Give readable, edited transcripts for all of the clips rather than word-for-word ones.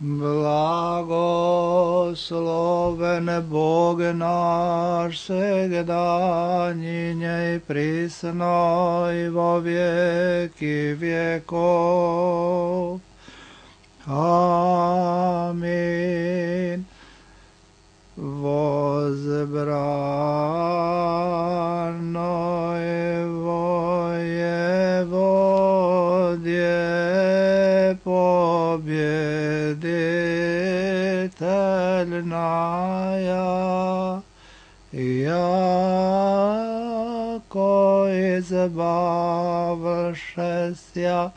Blagosloven Bog naš, segda i prisno i vo vijeki vjekov. Amin. Возбранное воеводие победительная, яко избавшеся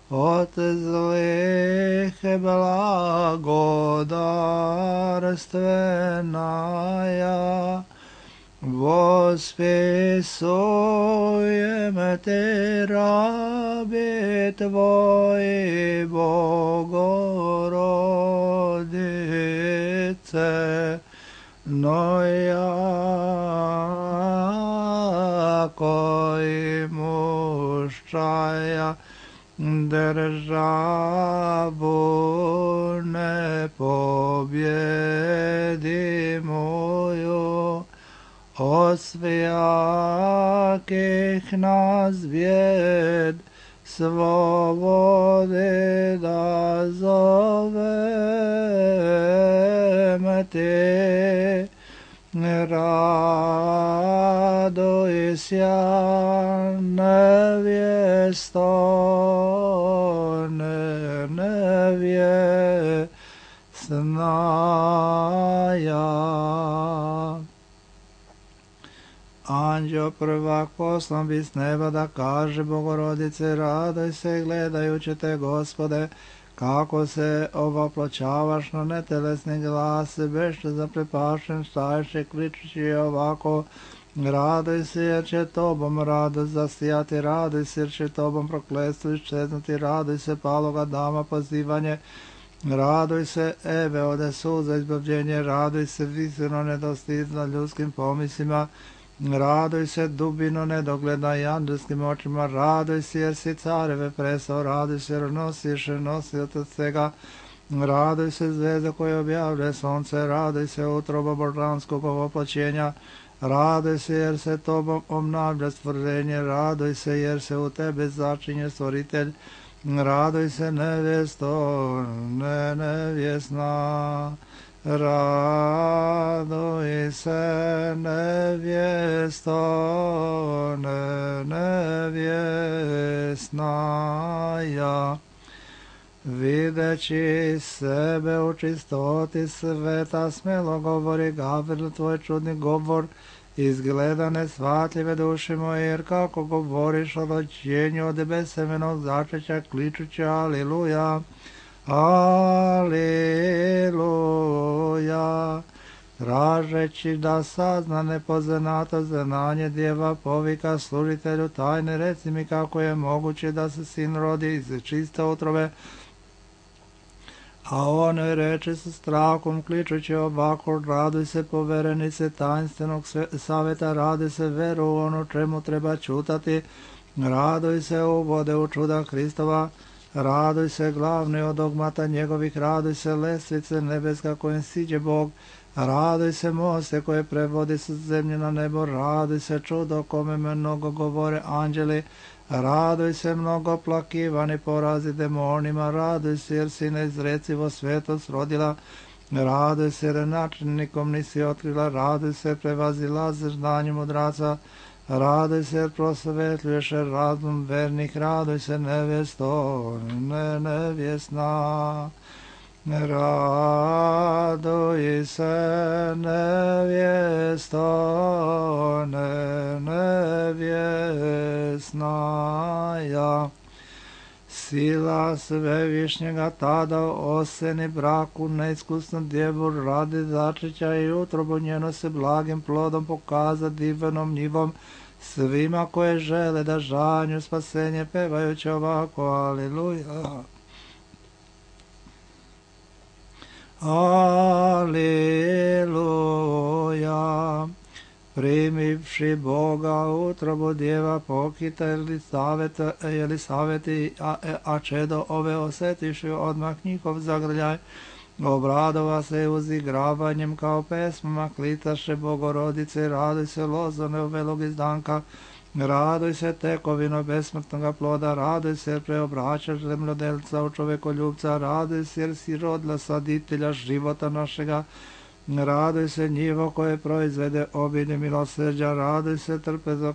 от злых благодарственная, восписуем Ты раби Твои, Богородице, но яко имущая державу непобедимую, от всяких нас бед свободы да зовем Ты. Радуйся, невесто, невестная. Anđeo prvak poslan bi s neba da kaže Bogorodice, radoj se gledajući te, Gospode, kako se ovoploćavaš na netelesni glas, bešte zaprepašen, stajše kličući ovako, radoj se jer će tobom radost zasijati, radoj se jer će tobom prokletstvo iščeznuti, radoj se paloga dama pozivanje, radoj se Eve ode suza izbavljenje, radoj se visino nedostizno ljudskim pomislima, radoj se dubino nedogledna i andelskim očima, radoj se jer si careve presao, radoj se jer nosiš nosioca svega, radoj se zvezda koja objavlja sonce, radoj se utroba božanskog ovoploćenja, radoj se jer se tobom obnavlja stvorenje, radoj se jer se u tebe začinje stvoritelj, radoj se nevesto, nevjesna, radoj se nevjesto, nevjesnaja, videći sebe u čistoti sveta, smelo govori Gavril tvoj čudni govor, izgleda nesvatljive duše moje, jer kako govoriš o rođenju od besemenog začeća, kličući aliluja, Aleluja, tražeći da sazna nepoznato znanje djeva povika služitelju tajne, reci mi kako je moguće da se sin rodi iz čiste utrobe. A on reče sa strahom kličući ovako, raduj se poverenice tajnstvenog savjeta, radi se veru u ono čemu treba čutati, raduj se uvode u čuda Hristova, raduj se glavni od dogmata njegovih, raduj se lestvice nebeska kojem siđe Bog, raduj se moste koje prevodi sa zemlje na nebo, raduj se čudo kome mnogo govore anđeli, raduj se mnogo plakivani porazi demonima, raduj se jer si neizrecivo svetost rodila, raduj se jer načinnikom nisi otkrila, raduj se prevazilaze znanje mudraca, raduj se jer prosvetljuješ razum vernih, raduj se nevjesto, nevjesna, raduj se nevjesto, nevjesnaja. Sila svevišnjega tada oseni braku neiskusnu djevu radi začeća i utrobu njeno se blagim plodom pokaza divnom njivom svima koje žele da žanju spasenje pevajući ovako aleluja. Aleluja. Primivši Boga utrobu djeva pokita Elisaveti, a čedo ove osjetiši odmah njihov zagrljaj, Obradova se uzigravanjem kao pesmama, klitaše Bogorodice, raduj se lozone uvelog izdanka, raduj se tekovino besmrtnoga ploda, raduj se jer preobraćaš zemljodelca u čovekoljubca, raduj se jer si rodila saditelja života našega, raduj se njivo koje proizvede obilje milosrđa, raduj se trpeza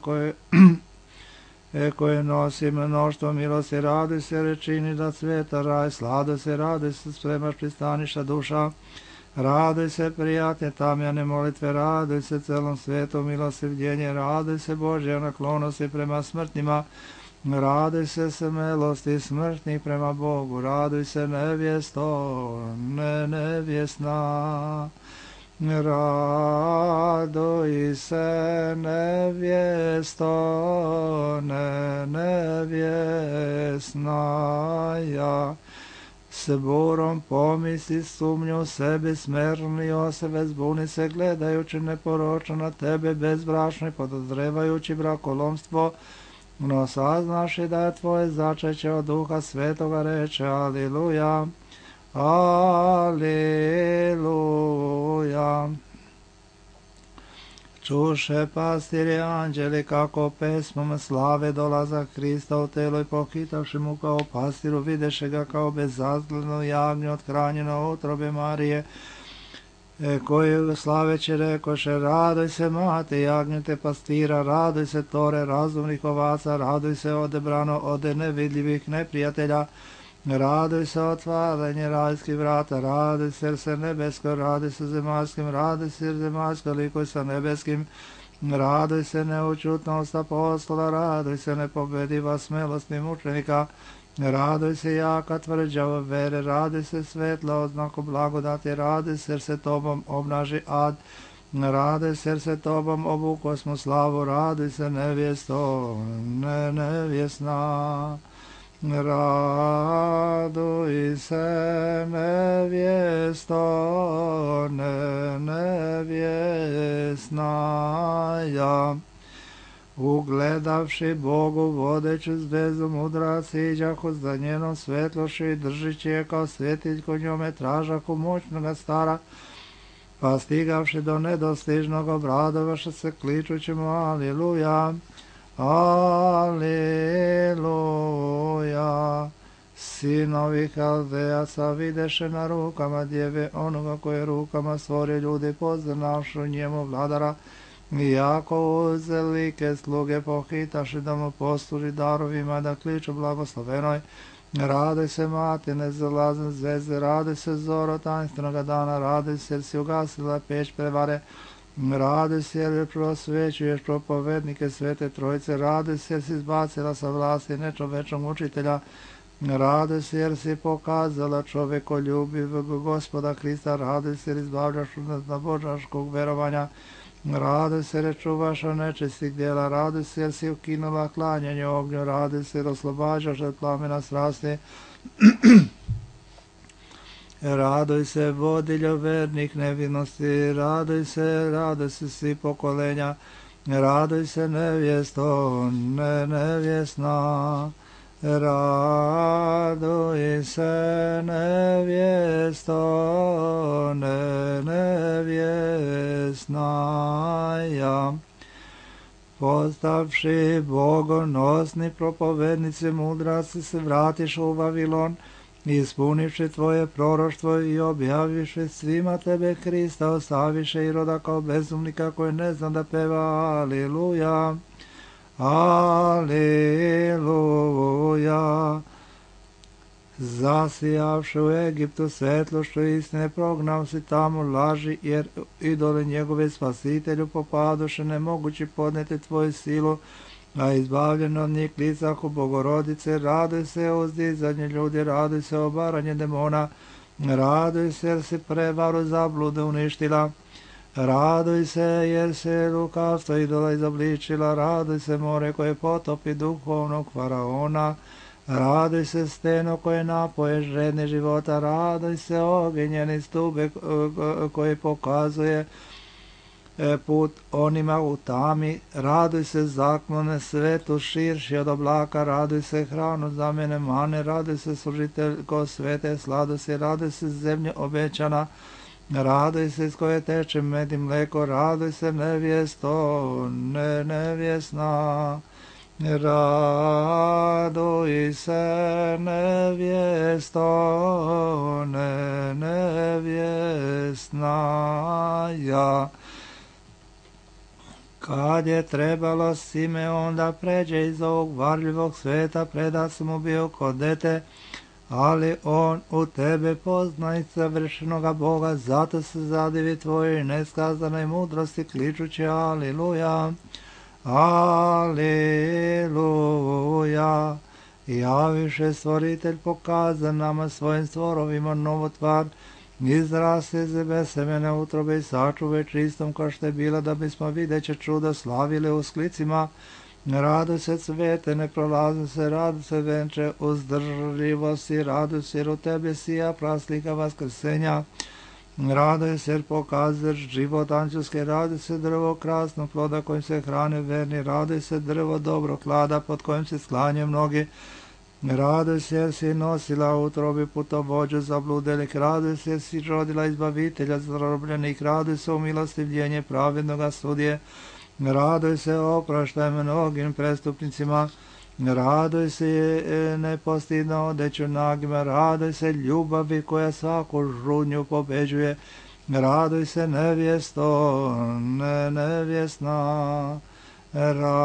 koje nosi mnoštvo milosti, raduj se rečini da cveta raj, raduj se spremaš pristaništa duša, raduj se prijatne tamjane molitve, raduj se celom svijetu milosrdjenje, raduj se Božja naklonosti prema smrtnima, raduj se smelosti smrtnih prema Bogu, raduj se nevjesto, nevjesna. Raduj se nevjesto, nevjesnaja, s burom pomisli sumnju sebi smerni osebe, zbuni se gledajući neporočno na tebe bezbrašno i podozrevajući brakolomstvo, no saznaši da je tvoje začeće od Duha Svetoga, reče Aliluja. Aleluja. Čuše pastiri anđeli kako pesmom slave dolazak Hrista u telo i pohitavši mu kao pastiru videše ga kao bezazgledno jagnje othranjeno u utrobe Marije, koju slaveće rekoše, raduj se mate jagnjete pastira, raduj se tore razumnih ovaca, raduj se odebrano od nevidljivih neprijatelja, raduj se otvaranje rajskih vrata, raduj se jer se nebesko, raduj se zemaljskim, raduj se jer zemaljsko likuj sa nebeskim, raduj se neučutnost apostola, raduj se nepobediva smelosti mučenika, raduj se jaka tvrđava vere, raduj se svetla oznaku blagodati, raduj se jer se tobom obnaži ad, raduj se jer se tobom obukosmo slavu, raduj se nevjesto, nevjesna. Raduj se nevjesto, nevjesnaja. Ugledavši Bogu vodeću zvezdu mudrac iđahu za njenom svetloši i držići je kao svjetiljko njome tražahu moćnoga stara, pa stigavši do nedostižnog obradovaša se kličući mu Aliluja. Aleluja. Sinovi Haldejaca videše na rukama djeve onoga koje rukama stvori ljudi poznavšu njemu vladara, iako uzelike sluge pohitaše da mu posluži darovima da kliču blagoslovenoj. Raduj se mati nezalazne zvezde, raduj se zoro tajnstvenog dana, raduj se jer si ugasila peć prevare, raduj se jer prosvećuješ propovednike Svete Trojice, raduj se jer si izbacila sa vlasti nečovečnog učitelja, raduj se jer si pokazala čovekoljubiv Gospoda Hrista, raduj se jer izbavljaš od božanskog verovanja, raduj se jer čuvaš od nečistih djela, raduj se jer si ukinula klanjanje ognju, raduj se jer oslobađaš od plamena strasti, raduj se vodiljo vernih nevinosti, raduj se svi pokolenja, raduj se nevjesto, nevjesna, raduj se nevjesto, nevjesnaja. Postavši bogonosni propovednici mudraci se vratiš u Vavilon, ispunivši tvoje proroštvo i objavivši svima tebe Hrista, ostaviše Iroda kao bezumnika koji ne zna da peva Aliluja. Aliluja. Zasijavši u Egiptu svetlošću istine, prognao si tamo laži, jer idoli njegove spasitelju popadoše nemogući podneti tvoju silu, a izbavljeno od njih klicahu Bogorodice, raduj se uzdizanje ljudi, raduj se obaranje demona, raduj se jer si prevaru zablude uništila, raduj se jer se lukavstvo idola izobličila, raduj se more koje potopi duhovnog faraona, raduj se steno koje napoje žedne života, raduj se ogenjeni stube koji pokazuje put onima u tami, raduj se zaklone svetu širši od oblaka, raduj se hranu za mene mane, raduj se služiteljko svete sladosti, raduj se zemlje obećana, raduj se iz koje teče med i mleko, raduj se nevjesto, nevjesna. Raduj se nevjesto, nevjesna ja. Kad je trebalo Simeon da pređe iz ovog varljivog sveta, predat sam mu bio kod dete, ali on u tebe poznaje savršenoga Boga, zato se zadivi tvojoj neskazanoj mudrosti, kličući Aliluja, Aliluja. Javiše stvoritelj pokaza nama svojim stvorovima novotvar, izraste zebe semene utrobe i sačuve čistom kao što je bila, da bismo videće čuda slavili u sklicima. Raduj se cvete, ne prolazi se, raduj se venče uzdržljivosti, raduj se jer u tebi sija praslika vaskrsenja. Raduj se jer pokazuješ život anđelske, raduj se drvo krasno ploda kojim se hrane verni, raduj se drvo dobro klada pod kojim se sklanjaju mnogi. Raduj se jer si nosila u utrobi putovođu zabludelih, raduj se jer si rodila izbavitelja zarobljenih, raduj se u milostivljenje pravednoga sudije, raduj se opraštaj mnogim prestupnicima, raduj se nepostidno odeću nagima, raduj se ljubavi koja svaku žudnju pobeđuje, raduj se nevjesto, nevjesna. Raduj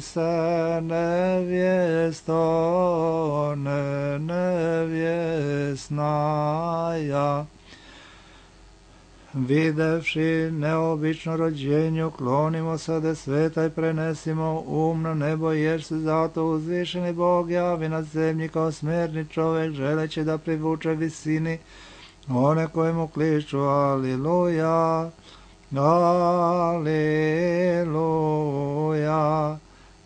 se nevjesto, nevjesna ja. Videvši neobično rođenje, uklonimo se od sveta i prenesimo um na nebo, jer se zato uzvišeni Bog javi na zemlji kao smerni čovjek, želeći da privuče visini one koje mu kliču Aliluja, Aliluja.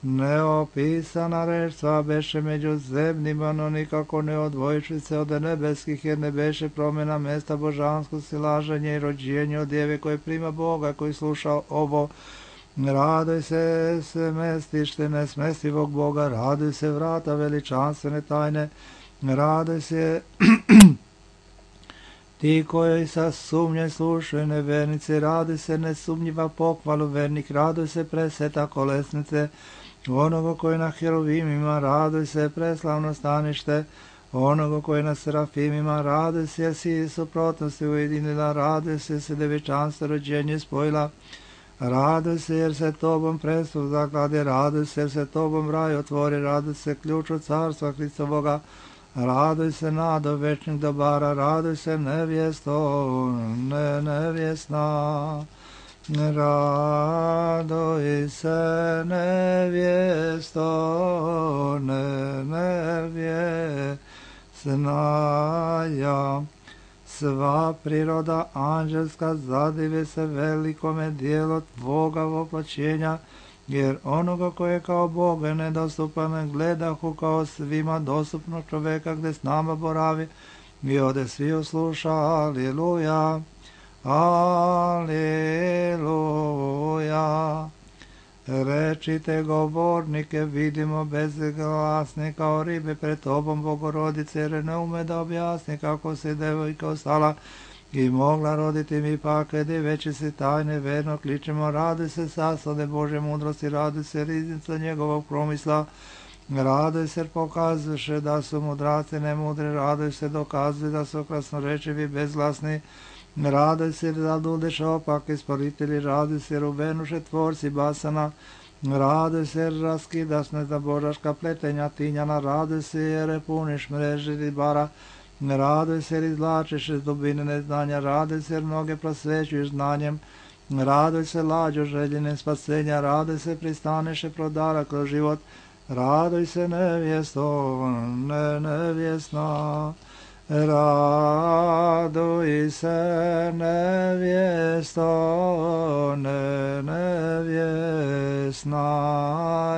Neopisana reč sva beše među zemljima, no nikako ne odvojiši se od nebeskih, jer ne beše promjena mesta božansko silaženje i rođenje od djeve koje prima Boga, koji sluša ovo. Raduj se smestište nesmestivog Boga, raduj se vrata veličanstvene tajne, raduj se ti koji sa sumnje slušaju nevernice, raduj se nesumnjiva pohvalu vernik, raduj se preseta kolesnice onoga koji na heruvimima, raduj se preslavno stanište onoga koji na serafimima, raduj se jer si suprotnosti ujedinila, raduj se se devičanstvo rođenje spojila, raduj se jer se tobom prestup zaklade, raduj se jer se tobom raj otvori, raduj se ključu carstva Hristovoga, raduj se nado večnih dobara, raduj se nevjesto, nevjesna. Raduj se nevjesto, nevjesna ja. Sva priroda anđelska zadive se velikome dijelu tvoga voplaćenja, jer onoga koje kao Boga nedostupan gledahu kao svima dostupnog čoveka gde s nama boravi, i ode svi usluša Aliluja, Aliluja. Rečite govornike, vidimo bezglasne kao ribe pred tobom, Bogorodice, jer ne ume da objasni kako se devojka ostala i mogla roditi, mi pak veći se tajne verno kličemo, raduj se saslade Bože mudrosti, raduj se riznica njegovog promisla, raduj se pokazuje da su mudraci nemudri, raduj se dokazuje da su krasnorečivi bezglasni, raduj se da dudeš opak isporitelji, raduj se rubenuše tvorci basana, raduj se jer raskidaš nezabožaška pletenja tinjana, raduj se jer puniš mreži ribara, raduj se jer izvlačiš iz dubine neznanja, raduj se jer mnoge prosvećuješ znanjem, raduj se lađo željene spasenja, raduj se pristaneše prodara kroz život, raduj se nevjesto, nevjesna. Raduj se nevjesto, nevjesna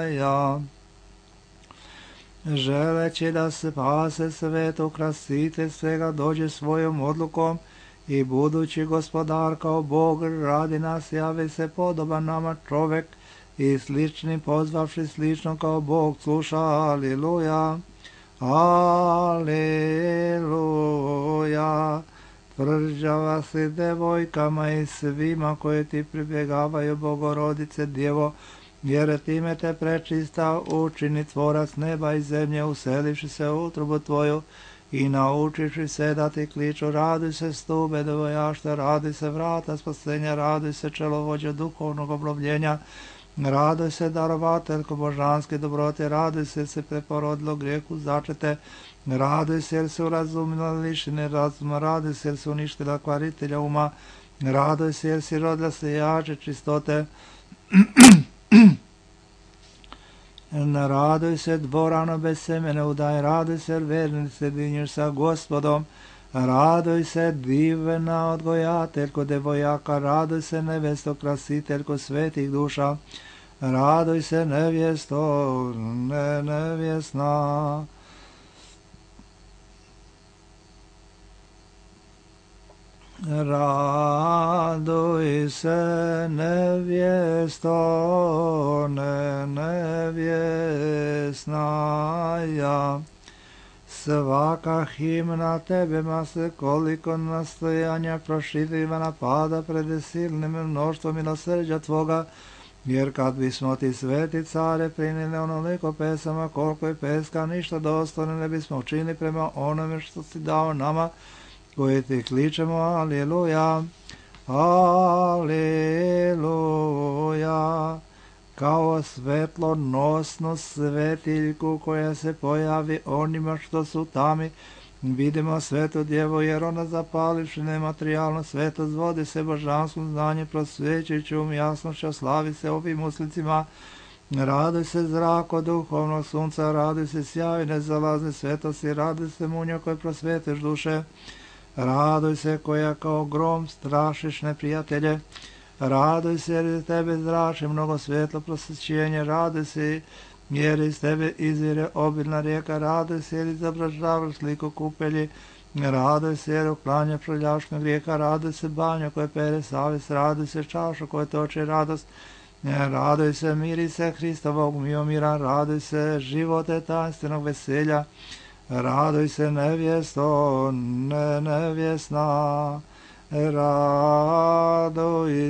ja. Želeći da se spase svet, ukrasitelj svega dođe svojom odlukom i budući gospodar kao Bog radi nas, javi se podoban nama čovek i slični pozvavši slično kao Bog sluša. Aliluja, aliluja. Tvrđava si devojkama i svima koji ti pribjegavaju, Bogorodice Djevo, jer time te prečista učini tvorac neba i zemlje, uselivši se u utrobu tvoju i naučiši se da ti kliču. Raduj se stube devojašta, raduj se vrata spasenja, raduj se čelovođa duhovnog obnovljenja, raduj se darovateljko božanske dobrote, raduj se preporodilo grijehu začete, raduj se jer se urazumila lišine razuma, raduj se jer se uništila kvaritelja uma, raduj se jer si rodila se jače čistote, raduj se dvorano bez semene udaj, raduj se jer verni se dinješ sa Gospodom, raduj se divna odgojateljko devojaka, raduj se nevesto krasiteljko svetih duša, raduj se nevjesto nevjesna. Raduj se nevjesto nevjesnaja. Svaka himna tebema se koliko nastojanja proširivana pada pred silnim mnoštvom milosrđa tvoga, jer kad bismo ti sveti care prinili onoliko pesama koliko je peska, ništa dostojno ne bismo učinili prema onome što si dao nama, koji ti kličemo. Aliluja, aliluja. Kao svetlonosnu svetiljku koja se pojavi onima što su tami, vidimo svetu djevu, jer ona zapalivši nematerijalno svetlost vodi se božanskom znanje, prosvećujući jasnošću, slavi se ovim uslicima. Raduj se zrako duhovnog sunca, raduj se sjaju nezalazne svetosti, raduj se munjo koje prosvetiš duše, raduj se koja kao grom strašiš neprijatelje, raduj se jer iz tebe zrači mnogo svetlo prosvećenje, raduj se jer iz tebe izvire obilna rijeka, raduj se jer izobražavaš sliku kupelji, raduj se jer uklanja proljašnog grijeha, raduj se banjo koje pere savjest, raduj se čaša koje toči radost, raduj se miri se Hristovog miomira, raduj se živote tajnstvenog veselja, raduj se nevjesto nevjesna, raduj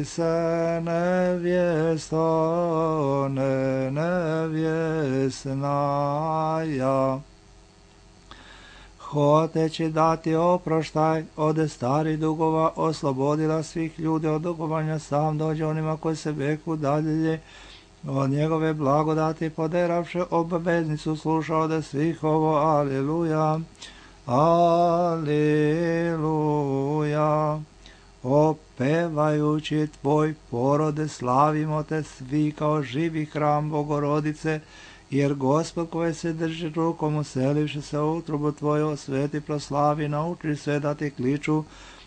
se nevjesto nevjesnaja. Hoteći dati oproštaj od starih dugova, oslobodila svih ljudi od dugovanja, sam dođe onima koji se beku dalje od njegove blagodati, poderavše obaveznicu, sluša od svih ovo. Aliluja, aliluja. Opevajući tvoj porode, slavimo te svi kao živi hram Bogorodice, jer Gospod koji se drži rukom, uselivši se u utrobu tvoju, osveti, proslavi, nauči sve da ti kliču.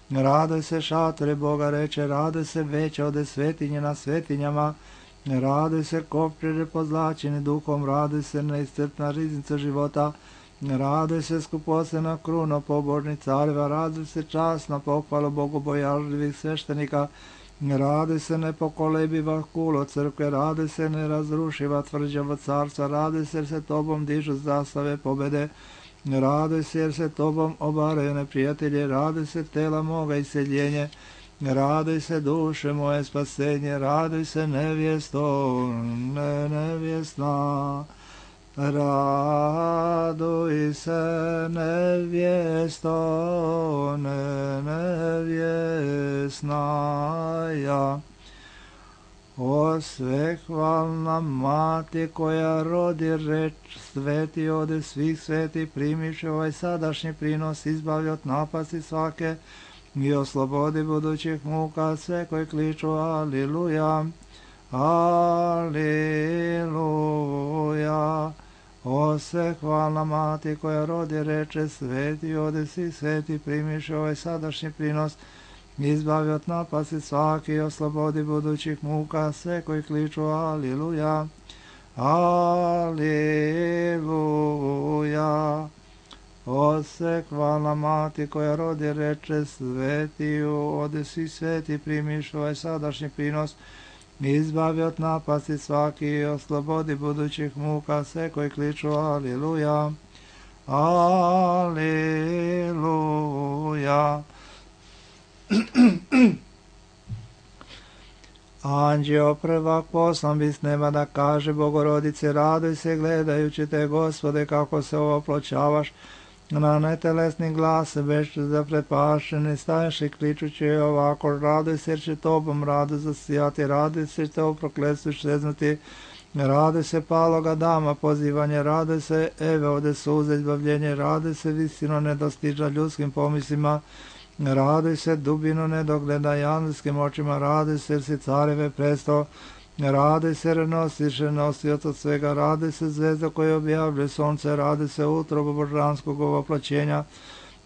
Raduj se šatore Boga reče, raduj se veće od svetinje na svetinjama, raduj se kopčere pozlačeni duhom, raduj se neiscrpna riznica života, raduj se skupocena kruna pobožnih careva, raduj se časna pohvala bogobojažljivih sveštenika, raduj se nepokolebiva kulo crkve, raduj se nerazrušiva tvrđava carstva, raduj se jer se tobom dižu zastave pobede, raduj se jer se tobom obaraju neprijatelje, raduj se tela moga iseljenje, raduj se duše moje spasenje, raduj se nevjesto nevjesna, raduj se nevjesto nevjesnaja. O svehvalna mati koja rodi reč sveti ode svih sveti, primiše ovaj sadašnji prinos, izbavi od napasti svake i oslobodi budućih muka sve koji kliču. Aliluja, aliluja. O svehvalna mati koja rodi reče sveti ode svih sveti, primiše ovaj sadašnji prinos, izbavi od napasti svaki i oslobodi budućih muka sve koji kliču. Aliluja, aliluja. Osekvala mati koja rodi reče svetiju, ode si sveti primiš ovaj sadašnji prinos, izbavi od napasti svaki i oslobodi budućih muka sve koji kliču Aliluja, Aliluja. Anđeo prvak poslan bi s neba da kaže Bogorodice, raduj se gledajući te, Gospode, kako se opločavaš, na netelesni glas bez zaprepašeni staješ i kličući ovako, raduj se jer će tobom radu zasijati, raduj se te u prokletstvu šeznuti, raduj se paloga dama pozivanje, raduj se Eve ode suze izbavljenje, raduj se visino nedostiža ljudskim pomislima, raduj se dubino nedogleda angelskim očima, raduj se jer si careve presto, raduj se jer nosiš nosioc od svega, raduj se zvezda koja objavljuje sonce, raduj se utrobu božanskog ovoploćenja,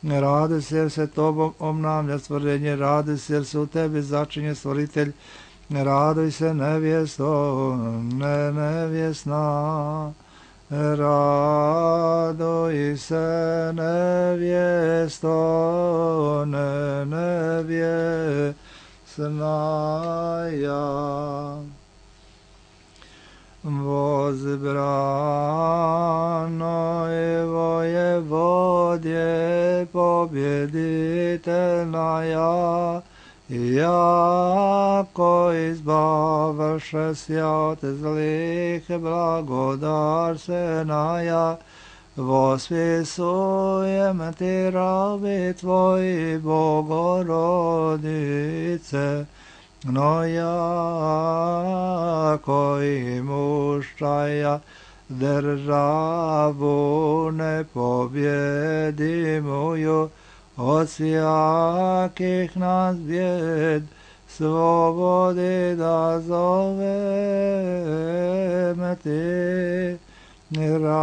raduj se jer se tobom obnavlja stvorenje, raduj se jer se u tebi začinje stvoritelj, raduj se nevjesto, nevjesna, raduj se nevjesto, nevjesna ja. Возбранной воеводе победительная, яко избавившися от злых благодарственная, восписуем ти раби твои, Богородице, но яко имущая державу непобедимую, от всяких нас бед свободы да зовем ти. Радуйся,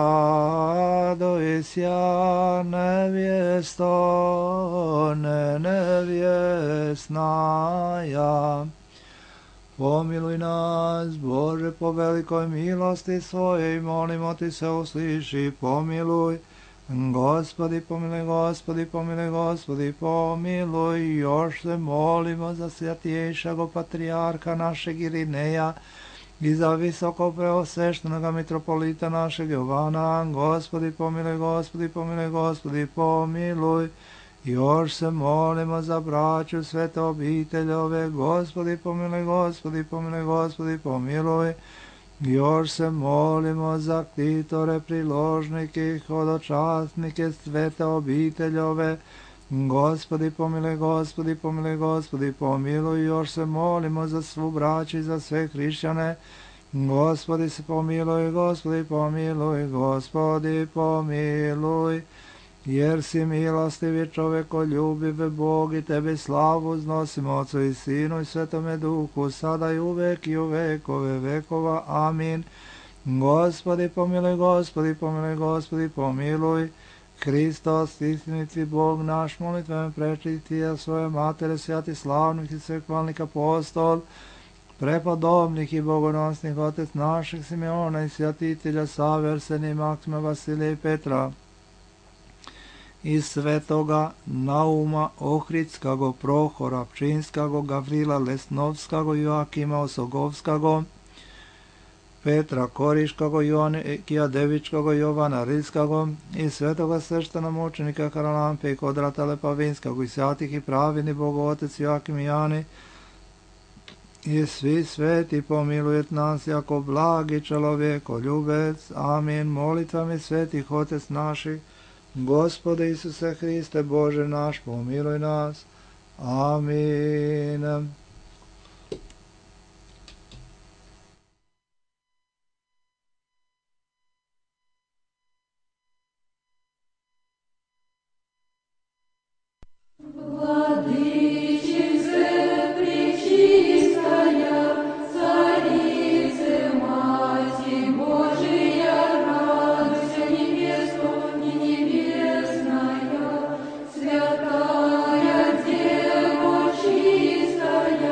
невесто, невесная. Помилуй нас, Боже, по великой милости Своей, молимо Ти се услыши, помилуй. Господи, помилуй, Господи, помилуй, Господи, помилуй. Još se molimo za svятейшего patrijarha našeg Irineja i za visoko preosveštenog mitropolita našeg Jovana. Gospodi, pomiloj, Gospodi, pomiloj, Gospodi, pomiloj. Još se molimo za braću svete obiteljove. Gospodi, pomiloj, Gospodi, pomiloj, Gospodi, pomiloj. Još se molimo za ktitore, priložnike, hodočasnike svete obiteljove. Gospodi, pomiloj, Gospodi, pomiloj, Gospodi, pomiloj. Još se molimo za svu braću i za sve hrišćane. Gospodi se pomiloj, Gospodi, pomiloj, Gospodi, pomiloj. Jer si milostivi čovekoljubiv Bog i Tebi slavu uznosimo Otcu i Sinu i Svetome Duhu, sada i uvek i u vekove vekova. Amin. Gospodi, pomiloj, Gospodi, pomiloj, Gospodi, pomiloj. Hristos, istiniti Bog naš, molitvama prečistija svoje matere, svjati slavnih i svekvalnih apostol, prepodobnih i bogonosnih otec naših Simeona i svjatitelja Save, Arsenija, Maksima, Vasilija i Petra, i svetoga Nauma Ohridskago, Prohora Pčinskago, Gavrila Lesnovskago, Joakima Osogovskago, Petra Koriškago, Joanekija Devičkago, Jovana Rilskago i svetoga sveštenomučenika Karalampe i Kodrata Lepavinskago i svятih i pravini Bogotec Joakim i Jani i svi sveti pomilujet nas jako blagi čelovjeko ljubec. Amin. Molitvami svetih Otec naših, Gospode Isuse Hriste, Bože naš, pomiluj nas. Amin. Святая Дева чистая,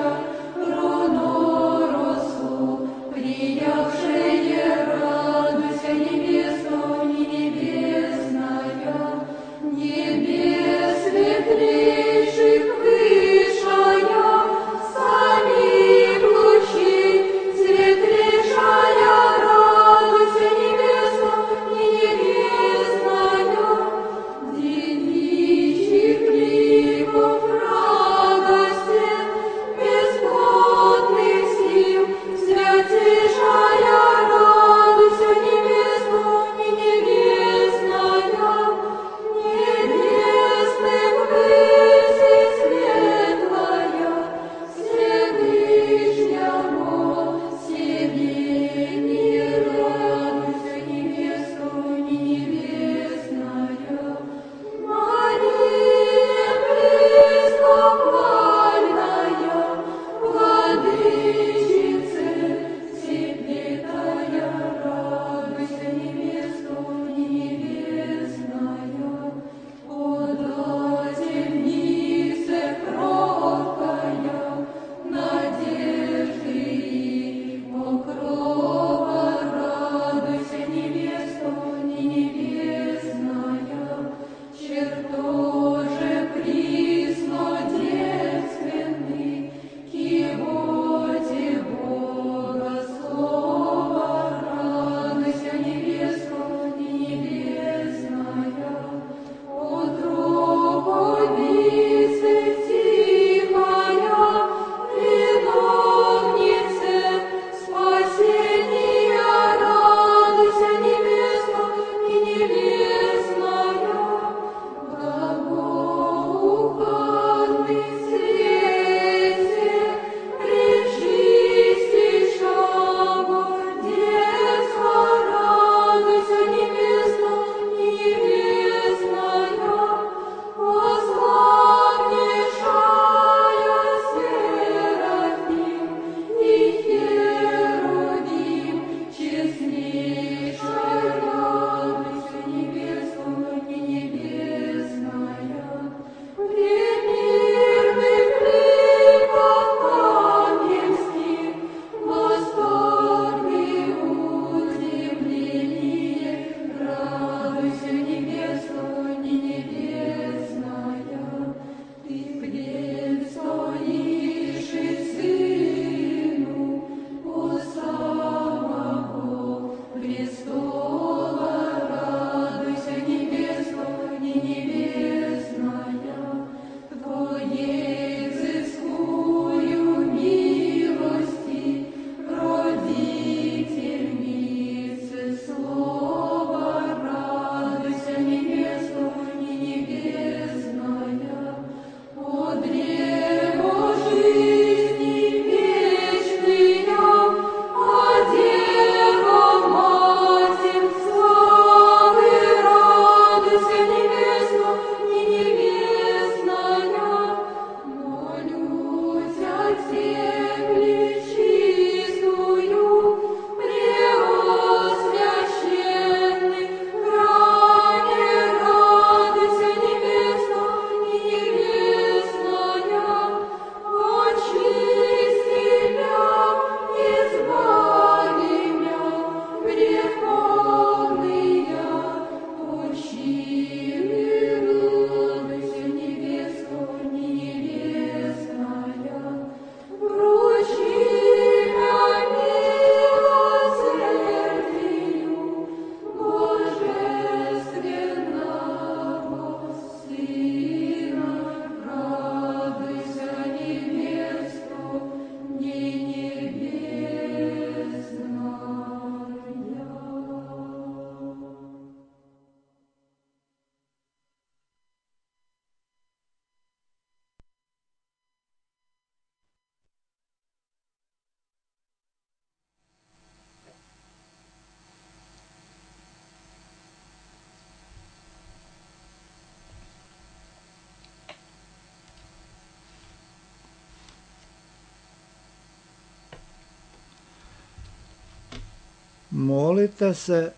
Molite se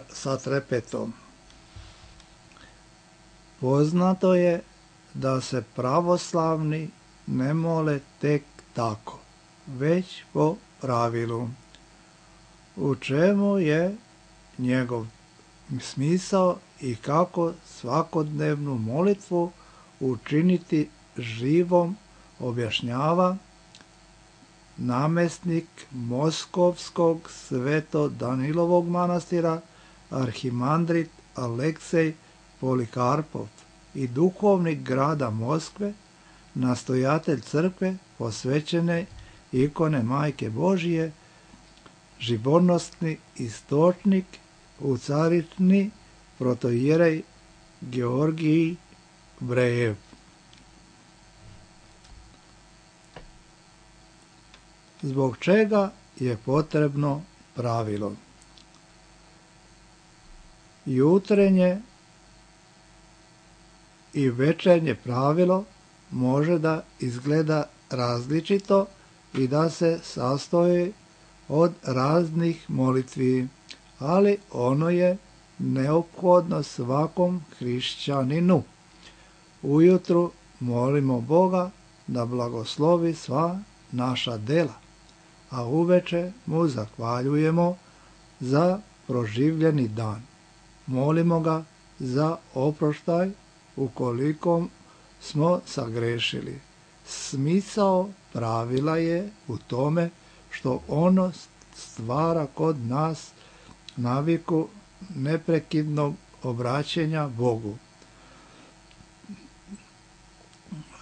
sa trepetom. Poznato je da se pravoslavni ne mole tek tako, već po pravilu. U čemu je njegov smisao i kako svakodnevnu molitvu učiniti živom, objašnjava namjesnik Moskovskog Sveto-Danilovog manastira arhimandrit Aleksej Polikarpov i duhovnik grada Moskve, nastojatelj crkve posvećene ikone Majke Božije, živonosni istočnik u caritni protoijerej Georgij Brejev. Zbog čega je potrebno pravilo? Jutrenje i večernje pravilo može da izgleda različito i da se sastoji od raznih molitvi, ali ono je neophodno svakom hrišćaninu. Ujutru molimo Boga da blagoslovi sva naša dela, a uveče mu zahvaljujemo za proživljeni dan. Molimo ga za oproštaj ukoliko smo sagrešili. Smisao pravila je u tome što ono stvara kod nas naviku neprekidnog obraćanja Bogu.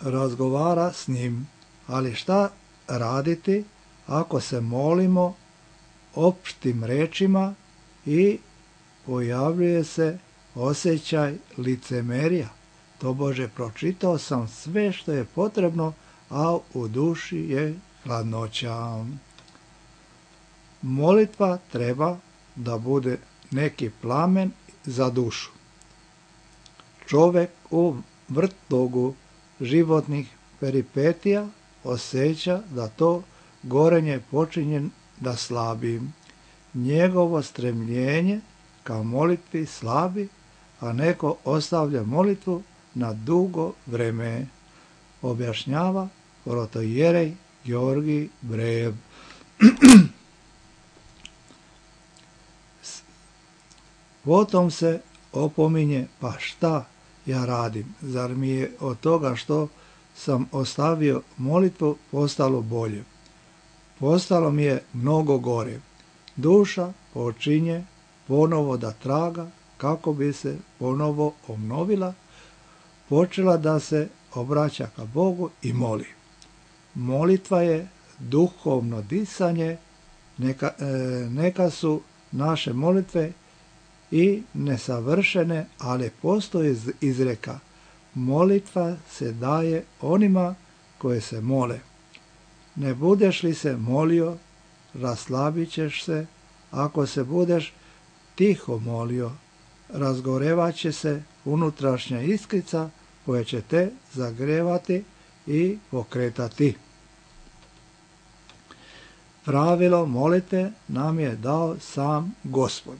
Razgovara s njim, ali šta raditi ako se molimo opštim rečima i pojavljuje se osjećaj licemerja? Tobože pročitao sam sve što je potrebno, a u duši je hladnoća. Molitva treba da bude neki plamen za dušu. Čovek u vrtlogu životnih peripetija osjeća da to gorenje počinje da slabi. Njegovo stremljenje ka molitvi slabi, a neko ostavlja molitvu na dugo vreme, objašnjava protoijerej Georgij Brejev. Potom se opominje, pa šta ja radim? Zar mi je od toga što sam ostavio molitvu postalo bolje? Postalo mi je mnogo gore. Duša počinje ponovo da traga kako bi se ponovo obnovila, počela da se obraća ka Bogu i moli. Molitva je duhovno disanje, neka su naše molitve i nesavršene, ali postoji izreka: molitva se daje onima koje se mole. Ne budeš li se molio, raslabit ćeš se. Ako se budeš tiho molio, razgorevat će se unutrašnja iskrica koja će te zagrevati i pokretati. Pravilo molite nam je dao sam Gospod.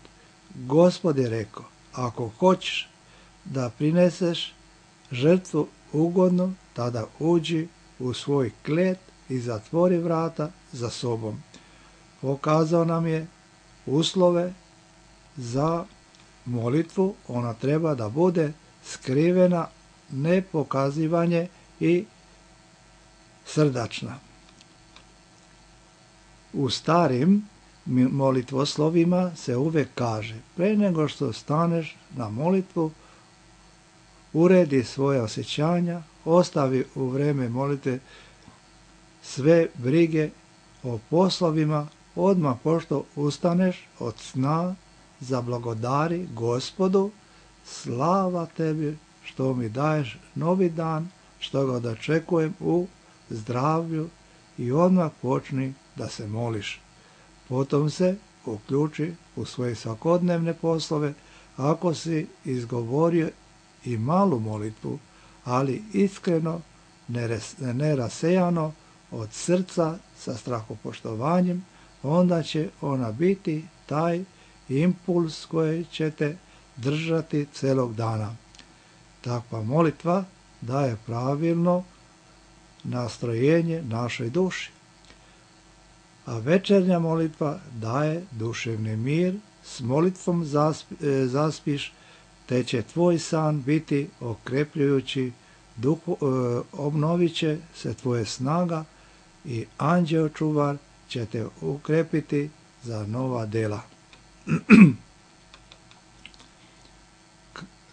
Gospod je rekao: ako hoćeš da prineseš žrtvu ugodnu, tada uđi u svoj klet i zatvori vrata za sobom. Pokazao nam je uslove za molitvu. Ona treba da bude skrivena, nepokazivanje i srdačna. U starim molitvoslovima se uvek kaže: pre nego što staneš na molitvu, uredi svoje osjećanja, ostavi u vreme molitve sve brige o poslovima, odmah pošto ustaneš od sna, zablagodari Gospodu: slava tebi što mi daješ novi dan, što ga dočekujem u zdravlju, i odmah počni da se moliš. Potom se uključi u svoje svakodnevne poslove. Ako si izgovorio i malu molitvu, ali iskreno, nerasejano, od srca, sa strahopoštovanjem, onda će ona biti taj impuls koji ćete držati celog dana. Takva molitva daje pravilno nastrojenje našoj duši. A večernja molitva daje duševni mir, s molitvom zaspiš, te će tvoj san biti okrepljujući, obnovit će se tvoje snaga i anđeo čuvar će te ukrepiti za nova dela.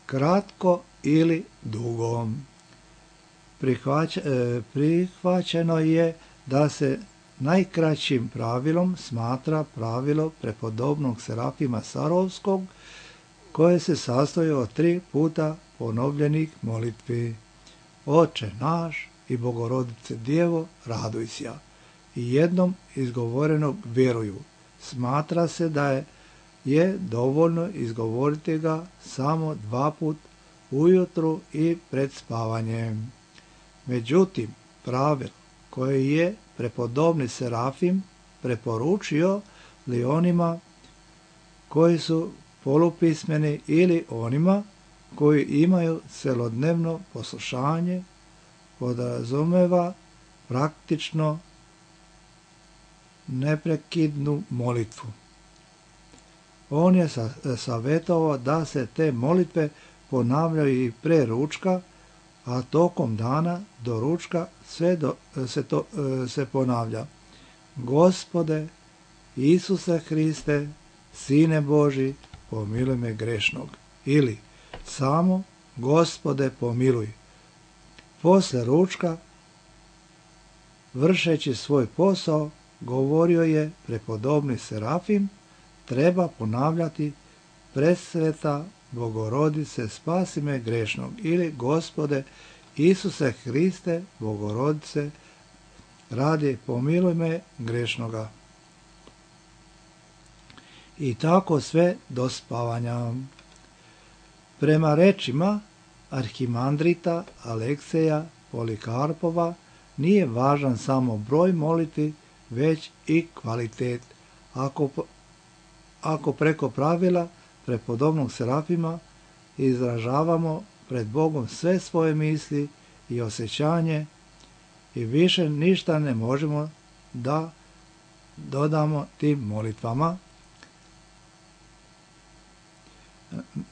Kratko ili dugo. Prihvaćeno je da se najkraćim pravilom smatra pravilo prepodobnog Serafima Sarovskog, koje se sastoji od 3 puta ponovljenih molitvi. Oče naš i Bogorodice Djevo, raduj se, i jednom izgovorenog vjeruju. Smatra se da je dovoljno izgovoriti ga samo 2 put ujutru i pred spavanjem. Međutim, pravilo koje je prepodobni Serafim preporučio li onima koji su polupismeni ili onima koji imaju celodnevno poslušanje, podrazumeva praktično neprekidnu molitvu. On je savjetovao da se te molitve ponavljaju i pre ručka, a tokom dana do ručka se ponavlja: Gospode Isuse Hriste, Sine Boži, pomiluj me grešnog. Ili samo Gospode pomiluj. Posle ručka, vršeći svoj posao, govorio je prepodobni Serafim, treba ponavljati: Presveta Bogorodice, spasi me grešnog. Ili Gospode Isuse Hriste, Bogorodice, radi pomiluj me grešnoga. I tako sve do spavanja. Prema rečima arhimandrita Alekseja Polikarpova, nije važan samo broj molitvi, već i kvalitet. Ako preko pravila prepodobnog Serafima izražavamo pred Bogom sve svoje misli i osjećanje i više ništa ne možemo da dodamo tim molitvama,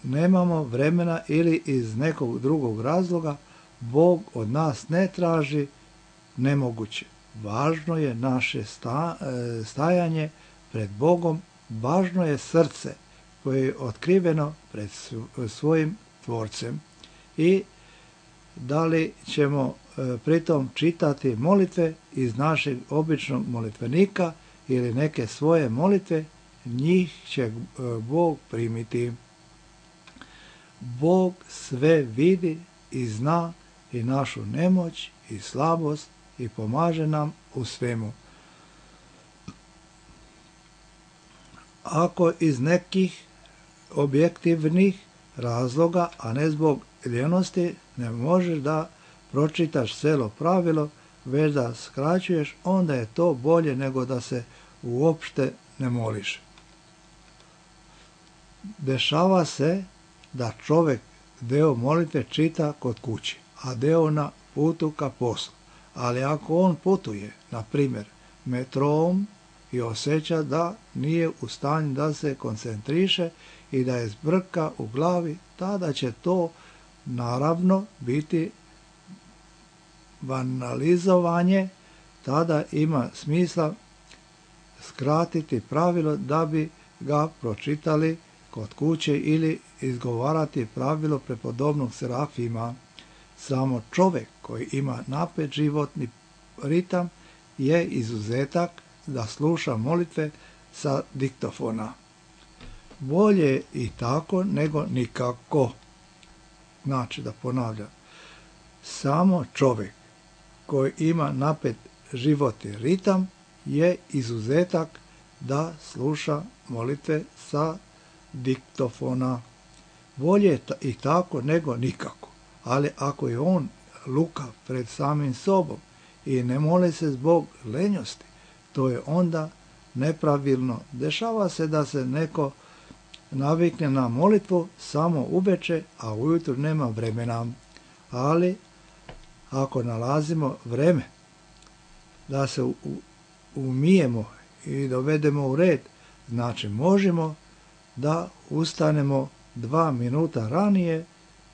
nemamo vremena ili iz nekog drugog razloga, Bog od nas ne traži nemoguće. Važno je naše stajanje pred Bogom, važno je srce koje je otkriveno pred svojim Tvorcem. I da li ćemo pritom čitati molitve iz našeg običnog molitvenika ili neke svoje molitve, njih će Bog primiti. Bog sve vidi i zna i našu nemoć i slabost i pomaže nam u svemu. Ako iz nekih objektivnih razloga, a ne zbog ljenosti, ne možeš da pročitaš celo pravilo, već da skraćuješ, onda je to bolje nego da se uopšte ne moliš. Dešava se da čovjek deo molitve čita kod kući, a deo na putu ka poslu. Ali ako on putuje, na primjer, metrom i osjeća da nije u stanju da se koncentriše i da je zbrka u glavi, tada će to naravno biti banalizovanje, tada ima smisla skratiti pravilo da bi ga pročitali kod kuće ili izgovarati pravilo prepodobnog Serafima. Samo čovjek koji ima napet životni ritam je izuzetak da sluša molitve sa diktofona. Bolje i tako nego nikako. Znači, da ponavljam, samo čovjek koji ima napet životni ritam je izuzetak da sluša molitve sa diktofona. Bolje i tako nego nikako. Ali ako je on lukav pred samim sobom i ne moli se zbog lenjosti, to je onda nepravilno. Dešava se da se neko navikne na molitvu samo uveče, a ujutro nema vremena. Ali ako nalazimo vreme da se umijemo i dovedemo u red, znači možemo da ustanemo 2 minuta ranije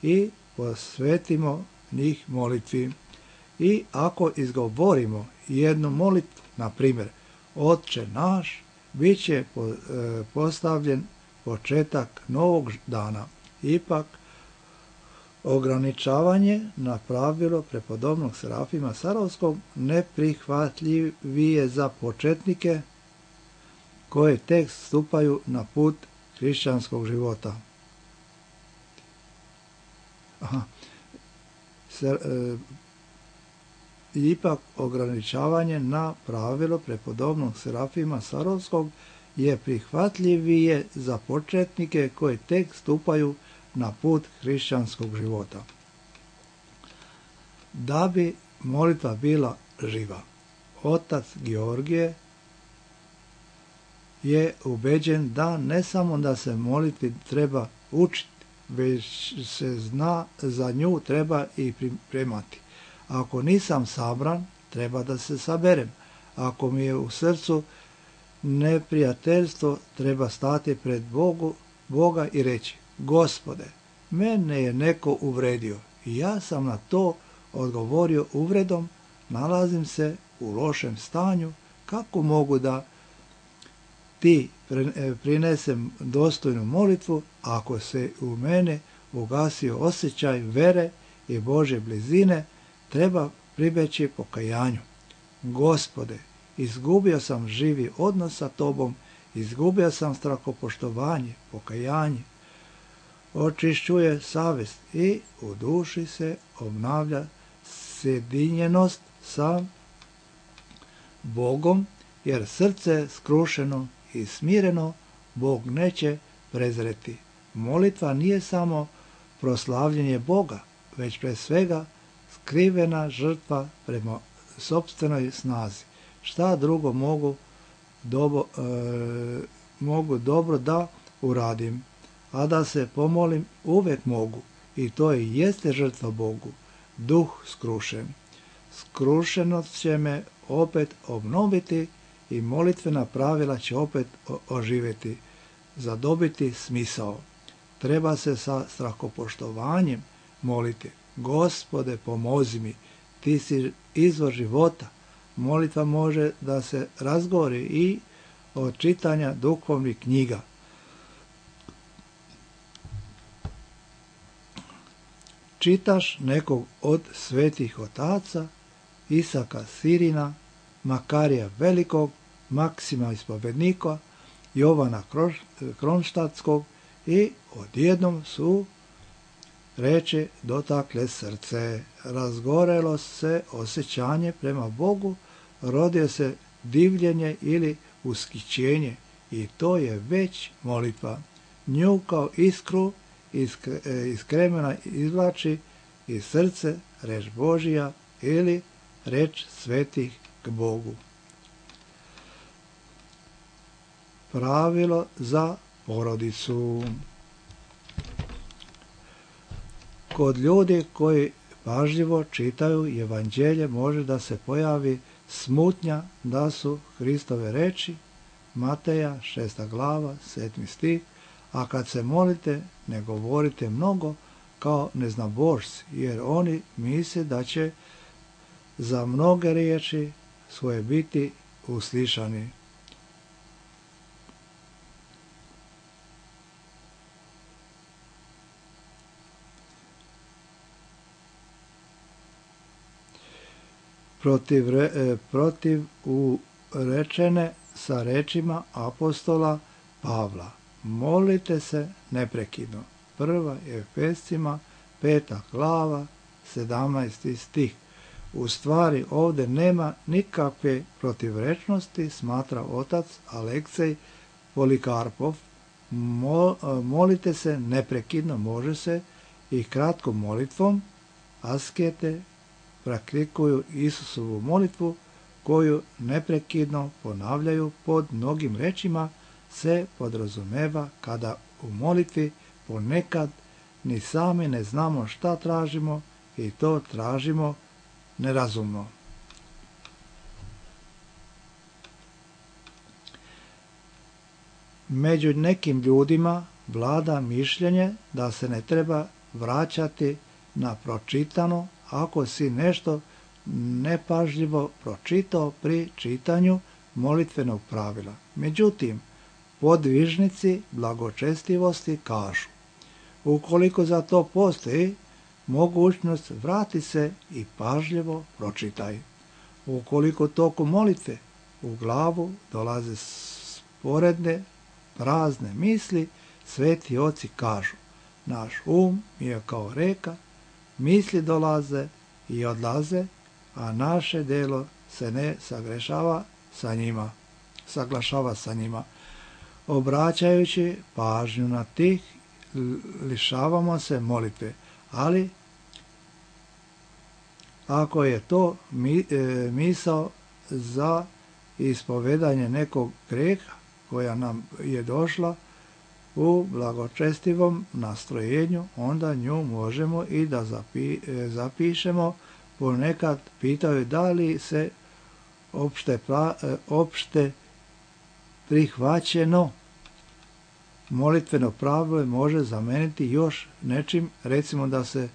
i posvetimo njih molitvi. I ako izgovorimo jednu molitvu, na primjer Otče naš, bit će postavljen početak novog dana. Ipak, ograničavanje na pravilo prepodobnog Serafima Sarovskog neprihvatljivije za početnike koji tek stupaju na put hrišćanskog života. Ipak ograničavanje na pravilo prepodobnog Serafima Sarovskog je prihvatljivije za početnike koji tek stupaju na put hrišćanskog života. Da bi molitva bila živa, otac Georgije je ubeđen da ne samo da se molitvi treba učiti, već se zna za nju treba i pripremati. Ako nisam sabran, treba da se saberem. Ako mi je u srcu neprijateljstvo, treba stati pred Boga i reći: Gospode, mene je neko uvredio i ja sam na to odgovorio uvredom, nalazim se u lošem stanju, kako mogu da ti prinesem dostojnu molitvu ako se u mene ugasio osjećaj vere i Božje blizine, treba pribeći pokajanju. Gospode, izgubio sam živi odnos sa Tobom, izgubio sam strahopoštovanje, pokajanje. Očišćuje savjest i u duši se obnavlja sjedinjenost sa Bogom, jer srce skrušeno i smireno Bog neće prezreti. Molitva nije samo proslavljenje Boga, već pre svega skrivena žrtva prema sopstvenoj snazi. Šta drugo mogu dobro da uradim, a da se pomolim uvek mogu, i to i jeste žrtva Bogu, duh skrušen. Skrušenost će me opet obnoviti i molitvena pravila će opet oživjeti, zadobiti smisao. Treba se sa strahopoštovanjem moliti: Gospode, pomozi mi, ti si izvor života. Molitva može da se razgovori i od čitanja duhovnih knjiga. Čitaš nekog od svetih otaca, Isaka Sirina, Makarija Velikog, Maksima Ispovednika, Jovana Kronštatskog i odjednom su reči dotakle srce. Razgorelo se osjećanje prema Bogu, rodio se divljenje ili ushićenje i to je već molitva. Nju kao iskru iz kremena izvlači iz srce reč Božija ili reč svetih k Bogu. Pravilo za porodicu. Kod ljudi koji pažljivo čitaju evanđelje može da se pojavi smutnja da su Hristove reči, Mateja 6. glava 7. stih, a kad se molite ne govorite mnogo kao neznabošci, jer oni misle da će za mnoge riječi svoje biti uslišani. Protiv urečene sa rečima apostola Pavla: molite se neprekidno. 1. Efescima 5. glava 17. stih. U stvari ovdje nema nikakve protivrečnosti, smatra otac Aleksej Polikarpov. Molite se neprekidno može se i kratkom molitvom. Askete praktikuju Isusovu molitvu koju neprekidno ponavljaju pod mnogim rečima, se podrazumeva kada u molitvi ponekad ni sami ne znamo šta tražimo i to tražimo nerazumno. Među nekim ljudima vlada mišljenje da se ne treba vraćati na pročitano ako si nešto nepažljivo pročitao pri čitanju molitvenog pravila. Međutim, podvižnici blagočestivosti kažu, ukoliko za to postoji mogućnost, vrati se i pažljivo pročitaj. Ukoliko tokom molitve u glavu dolaze sporedne prazne misli, sveti oci kažu, naš je kao reka, misli dolaze i odlaze, a naše delo se ne saglašava sa njima. Obraćajući pažnju na tih, lišavamo se molitve, ali ako je to misao za ispovedanje nekog grijeha koja nam je došla u blagočestivom nastrojenju, onda nju možemo i da zapišemo. Ponekad pitaju da li se opšte prihvaćeno molitveno pravilo može zameniti još nečim, recimo da se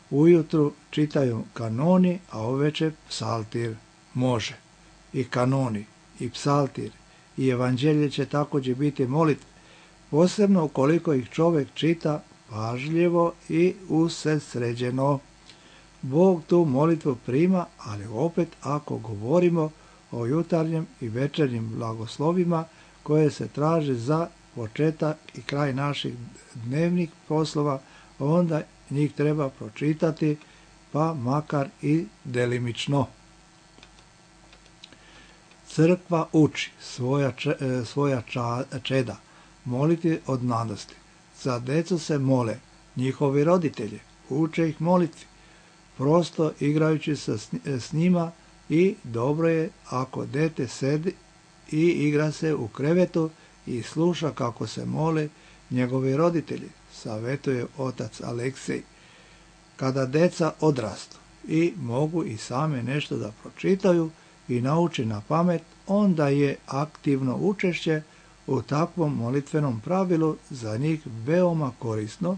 ujutru čitaju kanoni, a uveče psaltir. Može. I kanoni, i psaltir, i evanđelje će također biti molitve, posebno ukoliko ih čovjek čita pažljivo i usredsređeno. Bog tu molitvu prima, ali opet ako govorimo o jutarnjem i večernjim blagoslovima koje se traže za početak i kraj naših dnevnih poslova, onda njih treba pročitati, pa makar i delimično. Crkva uči svoja čeda moliti od mladosti. Za decu se mole njihovi roditelji, uče ih molitvi, prosto igrajući se s njima, i dobro je ako dete sedi i igra se u krevetu i sluša kako se mole njegovi roditelji, savjetuje otac Aleksej. Kada deca odrastu i mogu i same nešto da pročitaju i nauči na pamet, onda je aktivno učešće u takvom molitvenom pravilu za njih veoma korisno.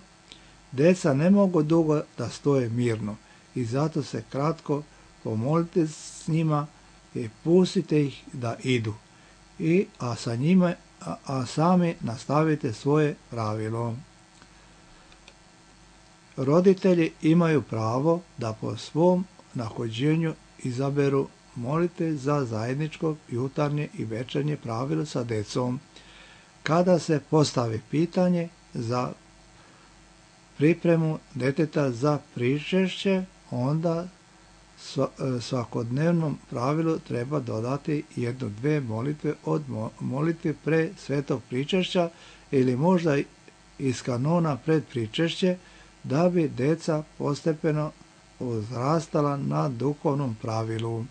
Deca ne mogu dugo da stoje mirno i zato se kratko pomolite s njima i pustite ih da idu, a sami nastavite svoje pravilo. Roditelji imaju pravo da po svom nahođenju izaberu molite za zajedničko jutarnje i večernje pravilo sa decom. Kada se postavi pitanje za pripremu deteta za pričešće, onda svakodnevnom pravilu treba dodati 1-2 molitve od molitve pre svetog pričešća ili možda iz kanona pred pričešće, da bi deca postepeno uzrastala na duhovnom pravilu.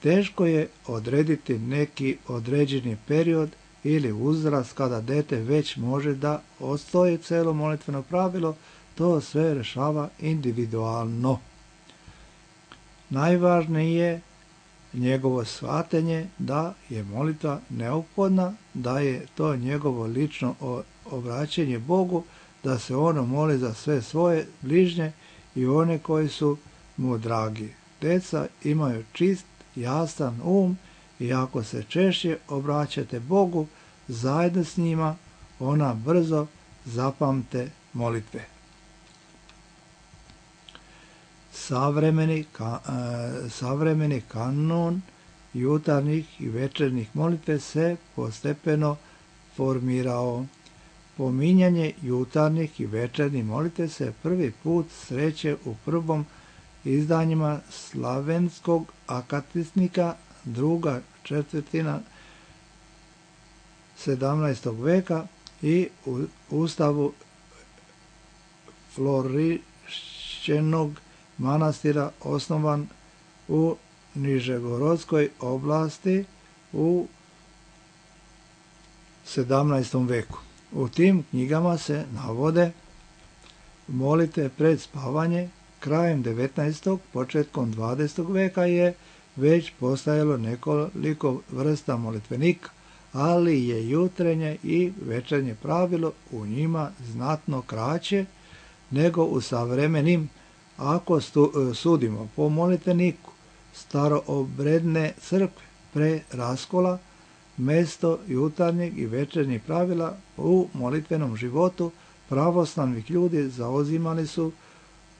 Teško je odrediti neki određeni period ili uzrast kada dete već može da odstoji celo molitveno pravilo, to sve rešava individualno. Najvažnije je njegovo shvatanje da je molitva neophodna, da je to njegovo lično obraćanje Bogu, da se ono moli za sve svoje bližnje i one koji su mu dragi. Deca imaju čist, jasan i ako se češće obraćate Bogu zajedno s njima, ona brzo zapamte molitve. Savremeni kanon jutarnjih i večernjih molitve se postepeno formirao. Pominjanje jutarnjih i večernjih molitve se prvi put sreće u prvom izdanjima slavenskog akatisnika, druga četvrtina 17. veka i u ustavu Florišćenog manastira osnovan u Nižegorodskoj oblasti u 17. veku. U tim knjigama se navode molitve pred spavanje. Krajem 19. početkom 20. veka je već postojalo nekoliko vrsta molitvenika, ali je jutrenje i večernje pravilo u njima znatno kraće nego u savremenim. Ako sudimo po molitveniku staroobredne crkve pre raskola, mesto jutarnjeg i večernjeg pravila u molitvenom životu pravoslavnih ljudi zauzimali su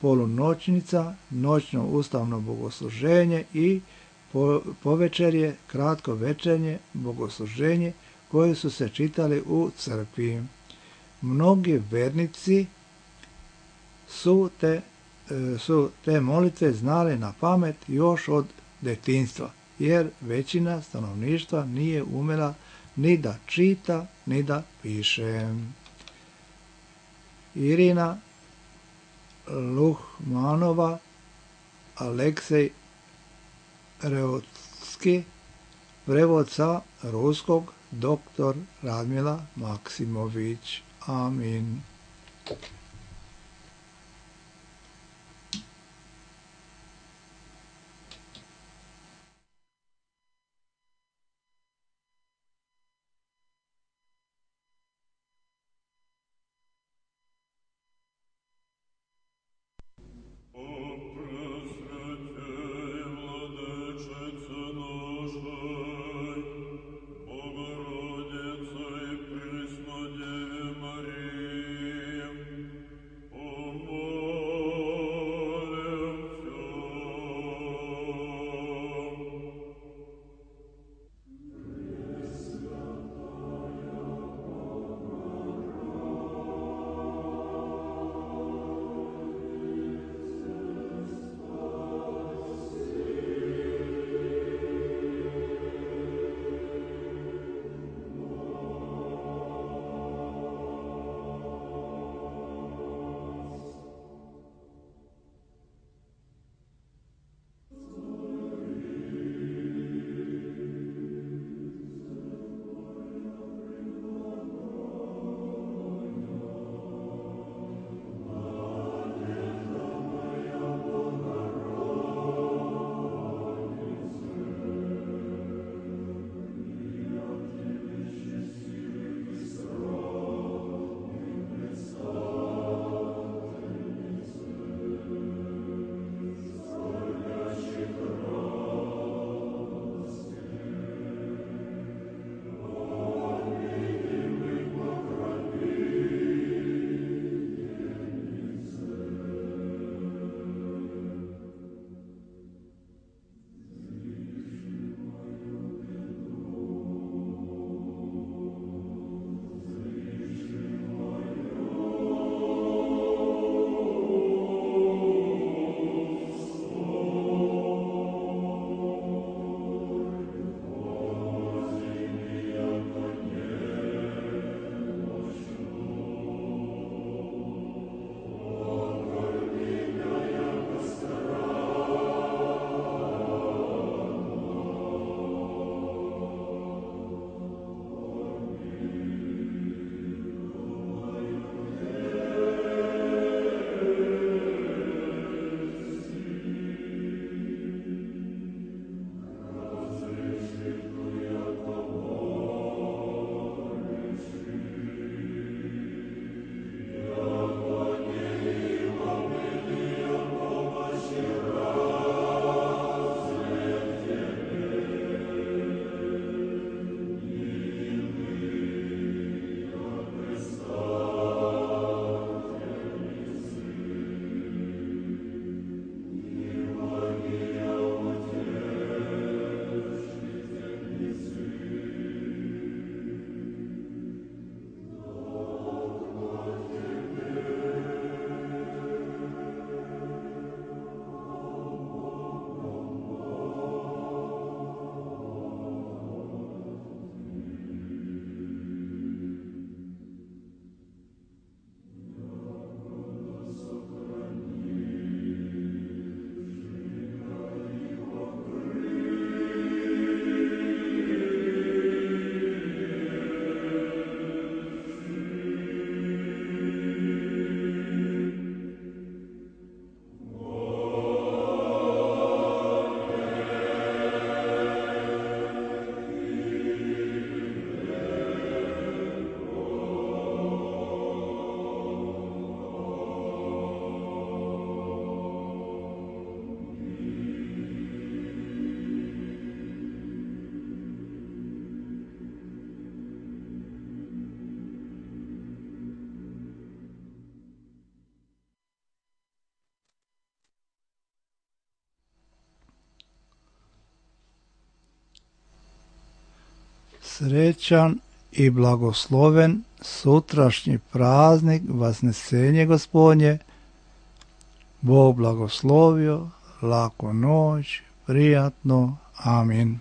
polunoćnica, noćno ustavno bogosluženje i povečerje, kratko večernje bogosluženje koje su se čitali u crkvi. Mnogi vernici su te molitve znali na pamet još od detinjstva, jer većina stanovništva nije umela ni da čita, ni da piše. Irina Luhmanova, Aleksej Reutski, prevod sa ruskog dr. Radmila Maksimović. Amin. Srećan i blagosloven sutrašnji praznik Vasnesenje Gospodnje. Bog blagoslovio, laku noć, prijatno, amin.